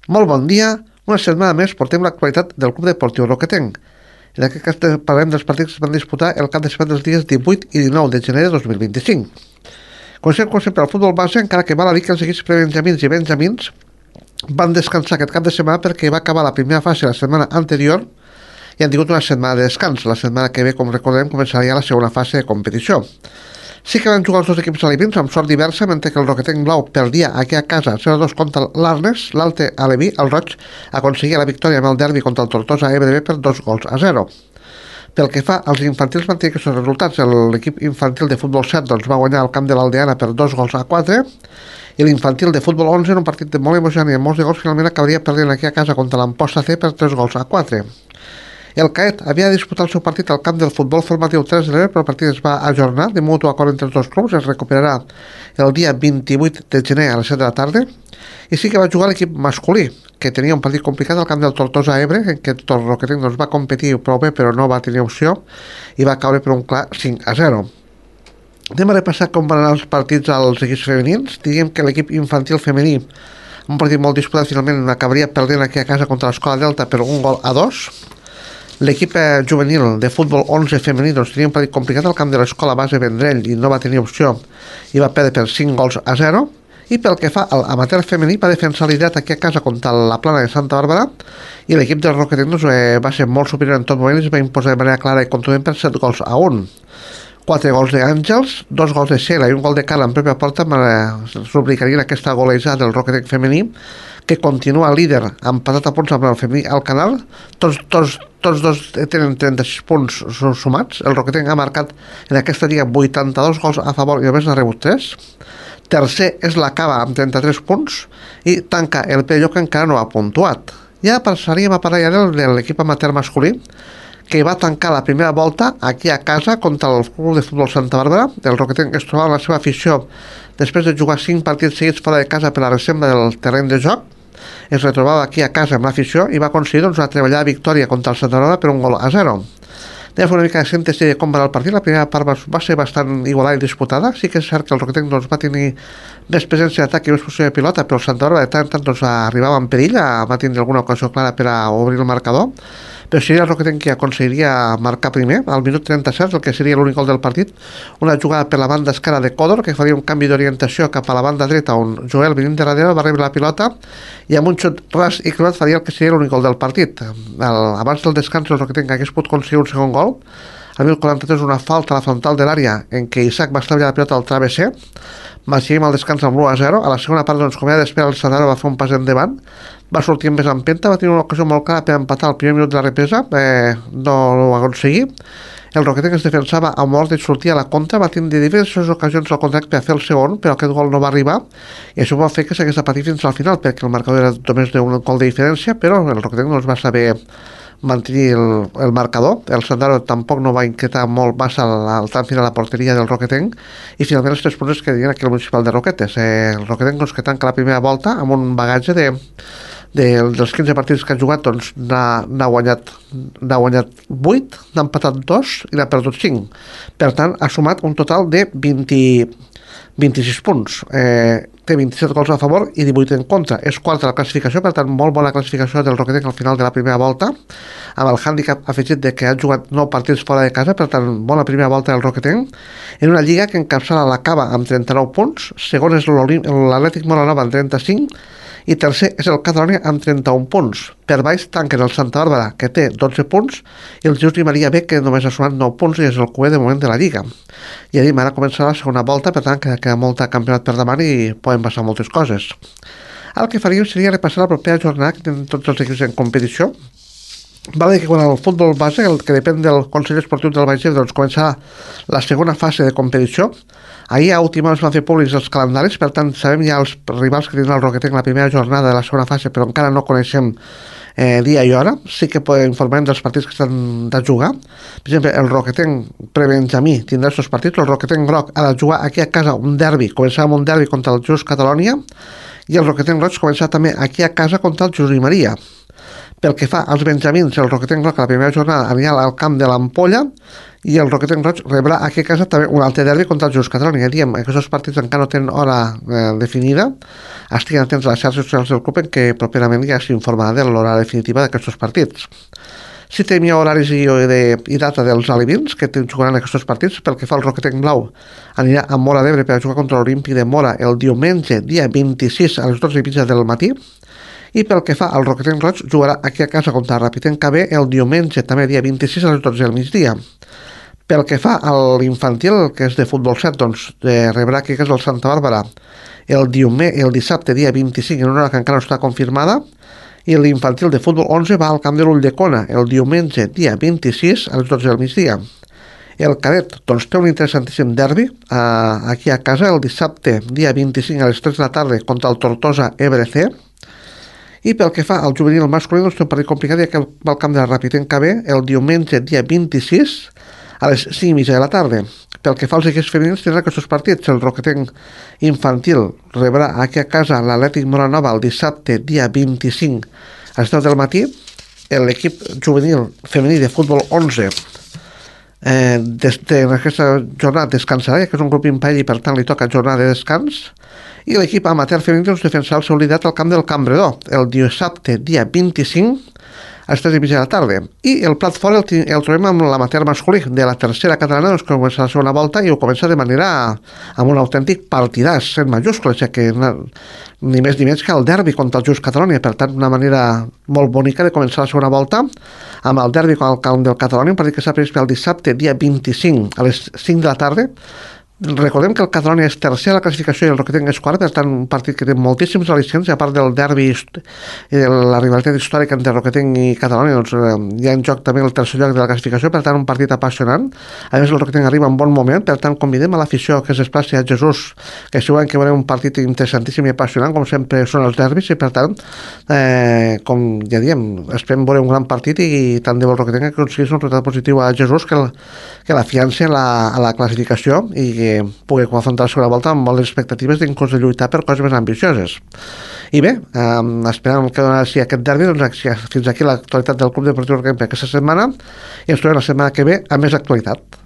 Molt bon dia. Una setmana més portem l'actualitat del Club Deportiu Roquetenc. En aquest cas parlem dels partits que es van disputar el cap de setmana dels dies 18 i 19 de gener de 2025. Comencem, com sempre, el futbol base, encara que val a dir que els equips prebenjamins i benjamins van descansar aquest cap de setmana perquè va acabar la primera fase la setmana anterior i han tingut una setmana de descans. La setmana que ve, com recordem, començaria la segona fase de competició. Sí que van jugar els dos equips alevins amb sort diversa, mentre que el Roquetenc Blau perdia aquí a casa 0-2 contra l'Arnes. L'Alte Aleví, el Roig, aconseguia la victòria amb el derbi contra el Tortosa EBDB per 2-0. Pel que fa als infantils, van tenir aquests resultats. L'equip infantil de futbol 7 va guanyar al camp de l'Aldeana per 2-4, i l'infantil de futbol 11, en un partit molt emocionant i amb molts de gols, finalment acabaria perdent aquí a casa contra l'Amposta C per 3-4. El CAET havia de disputar el seu partit al camp del futbol formatiu 3 de l'Ebre, però el partit es va ajornar de mutu acord entre els dos clubs. Es recuperarà el dia 28 de gener a les 7 de la tarda. I sí que va jugar l'equip masculí, que tenia un partit complicat al camp del Tortosa Ebre, en què el Roquetenc va competir prou bé, però no va tenir opció, i va caure per un clar 5-0. Anem a repassar com van anar els partits als equips femenins. Diguem que l'equip infantil femení, un partit molt disputat, finalment acabaria perdent aquí a casa contra l'Escola Delta per 1-2. L'equip juvenil de futbol 11 femení tenia un partit complicat al camp de l'Escola Base Vendrell i no va tenir opció i va perdre per 5-0. I pel que fa a l'amateur femení, va defensar l'ideat aquí a casa contra la Plana de Santa Bàrbara, i l'equip del Roquetenc va ser molt superior en tot moment i es va imposar de manera clara i contundent per 7-1. 4 gols d'Àngels, 2 gols de Cela i un gol de Carla en pròpia porta rubricarien aquesta golejada del Roquetenc femení, que continua líder empatat a punts amb el femení Alcanar. Tots dos tenen 36 punts sumats. El Roquetenc ha marcat en aquesta lliga 82 gols a favor i només n'ha rebut 3. Tercer és la Cava amb 33 punts i tanca el Pello, que encara no ha puntuat. Ja passaríem a parlar ja de l'equip amateur masculí, que va tancar la primera volta aquí a casa contra el Club de Futbol Santa Bàrbara. El Roquetenc es trobava en la seva afició després de jugar 5 partits seguits fora de casa per la reserva del terreny de joc. Es retrobava aquí a casa amb l'afició i va aconseguir una treballada victòria contra el Santa Bàrbara per 1-0. Anem a fer una mica de síntesi de com va anar el partit. La primera part va ser bastant igualada i disputada. Sí que és cert que el Roquetenc va tenir més presència d'atac i més posició de pilota, però el Santa Bàrbara de tant en tant arribava en perill, va tindre alguna ocasió clara per a obrir el marcador, però seria el Roquetenc qui aconseguiria marcar primer al minut 37, el que seria l'únic gol del partit. Una jugada per la banda esquerra de Còdor, que faria un canvi d'orientació cap a la banda dreta, on Joel, venint de darrere, va rebre la pilota i amb un xut ras i clavat faria el que seria l'únic gol del partit. Abans del descans el Roquetenc hagués pogut aconseguir un segon gol. Al 1043, una falta a la frontal de l'àrea en què Isaac va estalviar la pilota al travesser. Marxaríem al descans amb l'1-0. A la segona part, com era d'esperar, el Santana va fer un pas endavant, va sortir amb més empenta, va tenir una ocasió molt clara per empatar al primer minut de la represa, no ho va aconseguir. El Roquetenc es defensava a mort i sortia a la contra, va tenir diverses ocasions al contract per fer el segon, però aquest gol no va arribar, i això va fer que s'hagués de patir fins al final, perquè el marcador era només d'un gol de diferència, però el Roquetenc no es va saber mantenir el marcador. El Santana tampoc no va inquietar molt massa al tram final a la porteria del Roquetenc, i finalment els 3 punts que diuen aquí al municipal de Roquetes. El Roquetenc que tanca la primera volta amb un bagatge dels 15 partits que ha jugat, n'ha guanyat 8, n'ha empatat 2 i n'ha perdut 5. Per tant, ha sumat un total de 26 punts. Té 27 gols a favor i 18 en contra. És quarta la classificació, per tant, molt bona classificació del Roquetenc al final de la primera volta, amb el hàndicap afegit de que ha jugat 9 partits fora de casa, per tant, bona primera volta del Roquetenc, en una lliga que encapçala la Cava amb 39 punts, segon és l'Atlètic Molanova amb 35, i tercer és el Catalunya amb 31 punts. Per baix tanquen el Santa Bàrbara, que té 12 punts, i el Just i Maria B, que només ha sumat 9 punts i és el cué de moment de la Lliga. I ara començarà la segona volta, per tant que queda molt campionat per davant i poden passar moltes coses. El que faríem seria repassar la propera jornada que tenen tots els equips en competició. Val a dir que quan el futbol base, el que depèn del Consell Esportiu del Baix Ebre, començarà la segona fase de competició. Ahir a última hora es van fer públics els calendaris, per tant sabem ja els rivals que tindrà el Roquetenc la primera jornada de la segona fase, però encara no coneixem dia i hora. Sí que informarem dels partits que estan de jugar. Per exemple, el Roquetenc prebenjamí tindrà els seus partits. El Roquetenc groc ha de jugar aquí a casa un derbi, començarà amb un derbi contra el Just Catalunya, i el Roquetenc roig començarà també aquí a casa contra el Just i Maria. Pel que fa als benjamins, el Roquetenc Roig a la primera jornada anirà al camp de l'Ampolla i el Roquetenc Roig rebrà aquí a casa també un altre derbi contra el Just Catalonia. Diem, aquests partits encara no tenen hora definida. Estiguin atents a les xarxes socials del club en què properament ja s'informarà de l'hora definitiva d'aquests partits. Si tenim ja horaris i data dels alevins que jugaran aquests partits, pel que fa al Roquetenc Blau, anirà a Móra d'Ebre per a jugar contra l'Olímpic de Móra el diumenge, dia 26 a les 12:30 del matí, i pel que fa al Roquetenc Roig, jugarà aquí a casa contra el Ràpid en KB el diumenge, també dia 26 a les 12 del migdia. Pel que fa a l'infantil, que és de futbol 7, doncs rebrà aquí a casa el Santa Bàrbara el dissabte, dia 25, en una hora que encara no està confirmada, i l'infantil de futbol 11 va al camp de l'Ulldecona el diumenge, dia 26, a les 12 del migdia. El cadet doncs, té un interessantíssim derbi aquí a casa el dissabte, dia 25, a les 3 de la tarda, contra el Tortosa EBRC. I pel que fa al juvenil masculí, doncs té un partit complicat, ja que va al camp de la Ràpid en KB el diumenge, dia 26, a les 5:30 de la tarda. Pel que fa als equips femenins, tindrà aquests partits. El Roquetenc infantil rebrà aquí a casa l'Atlètic Moranova el dissabte, dia 25, a les 10 del matí. L'equip juvenil femení de futbol 11 en aquesta jornada descansarà, ja que és un grup imperi i per tant li toca jornada de descans. I l'equip amateur femení doncs, defensarà el seu liderat al camp del Cambredó el dissabte, dia 25, a les 3:30 de la tarda. I el plat fort el trobem amb l'amateur masculí de la tercera catalana, doncs, que comença la segona volta i ho comença de manera amb un autèntic partidàs en majúscules, ja que ni més ni menys que el derbi contra el Just Catalonia. Per tant, una manera molt bonica de començar la segona volta amb el derbi contra el camp del Catalonia, un partit que s'ha previst pel dissabte, dia 25, a les 5 de la tarda. Recordem que el Catalonia és tercer a la classificació i el Roquetenc és quart, per tant un partit que té moltíssims al·licients, a part del derbi i de la rivalitat històrica entre Roquetenc i Catalonia, doncs hi ha en joc també el tercer lloc de la classificació, per tant un partit apassionant. A més el Roquetenc arriba en bon moment, per tant convidem a l'afició que es desplaci a Jesús, que segurament que veurem un partit interessantíssim i apassionant, com sempre són els derbis, i per tant com ja diem, esperem veure un gran partit i tant de bo el Roquetenc aconseguís un resultat positiu a Jesús que l'afianci a la classificació i que pugui afrontar la segona volta amb moltes expectatives d'inclús de lluitar per coses més ambicioses. I bé, esperem que donarà aquest derbi, doncs fins aquí l'actualitat del Club Deportiu Roquetenc per aquesta setmana i ens trobem la setmana que ve amb més actualitat.